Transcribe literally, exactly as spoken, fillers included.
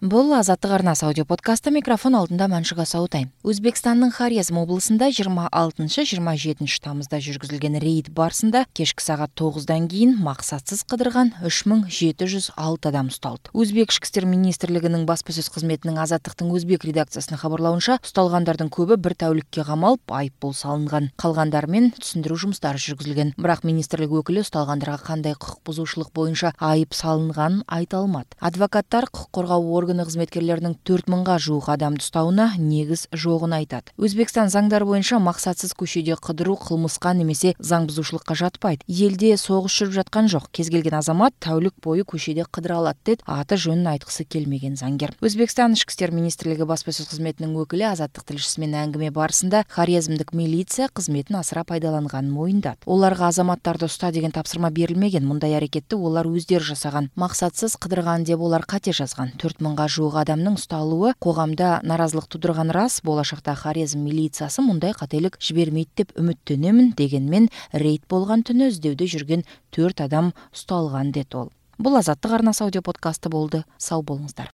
Бул Азаттык арнасы аудио подкасты. Микрофон алдында Маншыга Саутайм. Өзбекстандын Хорезм облусунда жыйырма алтынчы жыйырма жетинчи тамызда жүргүзүлгөн рейд барысында кечки саат тогуздан кийин максатсыз кыдырган үч миң жети жүз алты адам ушталды. Өзбек ички иштер министрлигинин баспа сөз кызметинин Азаттыктын өзбек редакциясынын кабарлауынча, ушталгандардын көбү бир тәулүккө камалып, айыппул салынган. Калгандары менен түшүндүрүү жумуштары жүргүзүлгөн. Бирок министрлик өкүлү ушталгандарга кандай укук бузуушулук боюнча айып салынганын айта алмады. Адвокаттар укук коргоо органы кызметкерлеринин төрт миңга жуук адамды уштауына негиз жогун айтат. Өзбекстан заңдары боюнча максатсыз көчөдө кыдыруу кылмыска немесе заң бузуушулукка жатпайт. Элде согуш жүрүп жаткан жок. Кез келген азамат тәулүк бою көчөдө кыдыра алат, дейт аты жөнүн айткысы келмеген заңгер. Өзбекстан ички иштер министрлиги баспа сөз кызметинин өкүлү Азаттык тилшиси менен әңгиме барысында Хорезмдик милиция кызметін асыра пайдаланганын моюндады. Оларга азаматтарды уста деген тапсырма берилмеген. Мындай аракетти олар өздөрү жасаган. Максатсыз кыдырган деп олар кате жазган. төрт миңга жуук адамдын ушталуу коомдо наразылык тудурганы рас. Болашакта Хорезм милициясы мындай кателик жибермейт деп үмүттөнөмүн. Дегенмен рейд болгон түнү издөөдө жүргөн төрт адам ушталган, дейт ол. Бул Азаттык арнасы аудио подкасты болду. Сау болуңуздар.